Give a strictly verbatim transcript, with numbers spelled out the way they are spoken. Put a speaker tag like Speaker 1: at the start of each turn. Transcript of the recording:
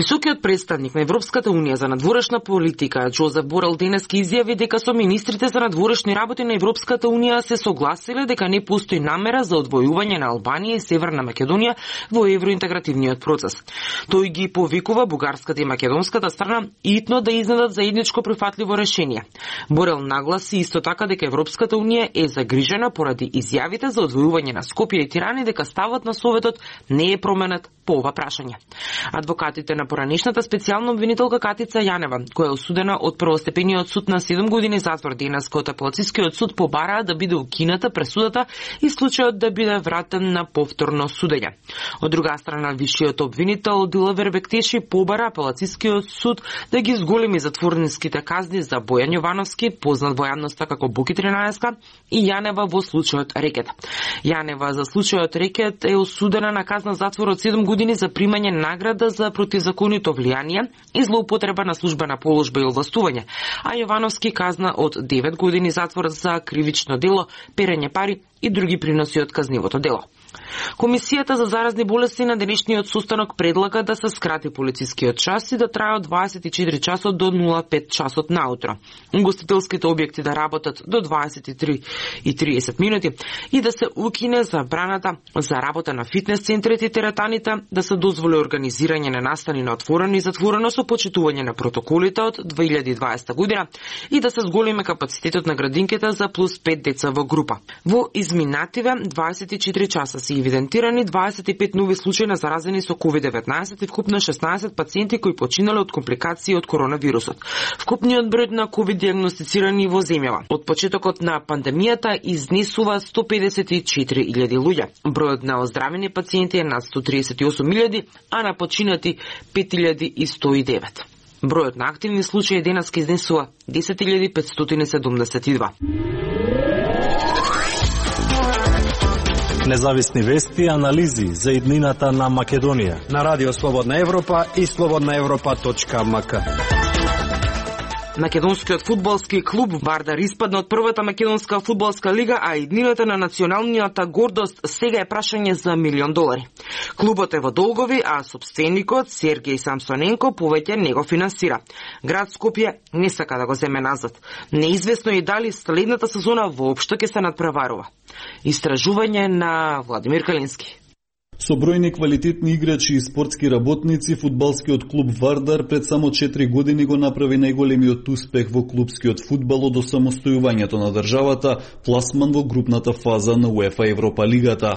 Speaker 1: Високиот представник на Европската унија за надворешна политика Джозеф Борел денеска изјави дека со министрите за надворешни работи на Европската унија се согласиле дека не постои намера за одвојување на Албанија и Северна Македонија во евроинтегративниот процес. Тој ги повикува бугарската и македонската страна итно да изнедат заедничко прифатливо решение. Борел нагласи исто така дека Европската унија е загрижена поради изјавите за одвојување на Скопје и Тирана и дека ставот на Советот не е променет по ова прашање. Адвокатите на поранешната специјална обвинителка Катица Јанева, која е осудена од првостепениот суд на седум години затвор денеска од апелацискиот суд, побараа да биде укината пресудата и случајот да биде вратен на повторно судење. Од друга страна, вишиот обвинител Дилавер Бектеши побара апелацискиот суд да ги зголеми затворниските казни за Бојан Јовановски, познат во јавноста како Буки тринаесет, и Јанева во случајот Рекет. Јанева за случајот Рекет е осудена на казна затвор од седум години за примање награда за противзаконито влијание и злоупотреба на службена положба и овластување, а Јовановски казна од девет години затвор за кривично дело, перење пари и други приноси од казнивото дело. Комисијата за заразни болести на денешниот состанок предлага да се скрати полицискиот час и да трае од дваесет и четири часот до нула пет часот наутро. Угостителските објекти да работат до дваесет и три и тридесет минути и да се укине забраната за работа на фитнес центрите и теретаните, да се дозволи организирање на настани на отворено и затворено со почитување на протоколите од две илјади и дваесета година и да се зголеме капацитетот на градинките за плюс пет деца во група. Во изминативе дваесет и четири часа се евидентирани дваесет и пет нови случаи на заразени со ковид деветнаесет и вкупно шеснаесет пациенти кои починале од компликации од коронавирусот. Вкупниот број на ковид диагностицирани во земјава од почетокот на пандемијата изнесува сто педесет и четири илјади луѓе. Бројот на оздравени пациенти е над сто тридесет и осум илјади, а на починати пет илјади и сто и девет. Бројот на активни случаи денеска изнесува десет илјади петстотини и седумдесет и два.
Speaker 2: Независни вести и анализи за иднината на Македонија
Speaker 3: на Радио Слободна Европа и слободна европа точка ем ка.
Speaker 1: Македонскиот фудбалски клуб Вардар испадна од првата македонска фудбалска лига, а иднината на националниот гордост сега е прашање за милион долари. Клубот е во долгови, а собственикот Сергеј Самсоненко повеќе не го финансира. Град Скопје не сака да го земе назад. Неизвестно е дали следната сезона воопшто ќе се надпреварува. Истражување на Владимир Калински.
Speaker 4: Со бројни квалитетни играчи и спортски работници, фудбалскиот клуб Вардар пред само четири години го направи најголемиот успех во клубскиот фудбал од осамостојувањето на државата, пласман во групната фаза на УЕФА Европа лигата.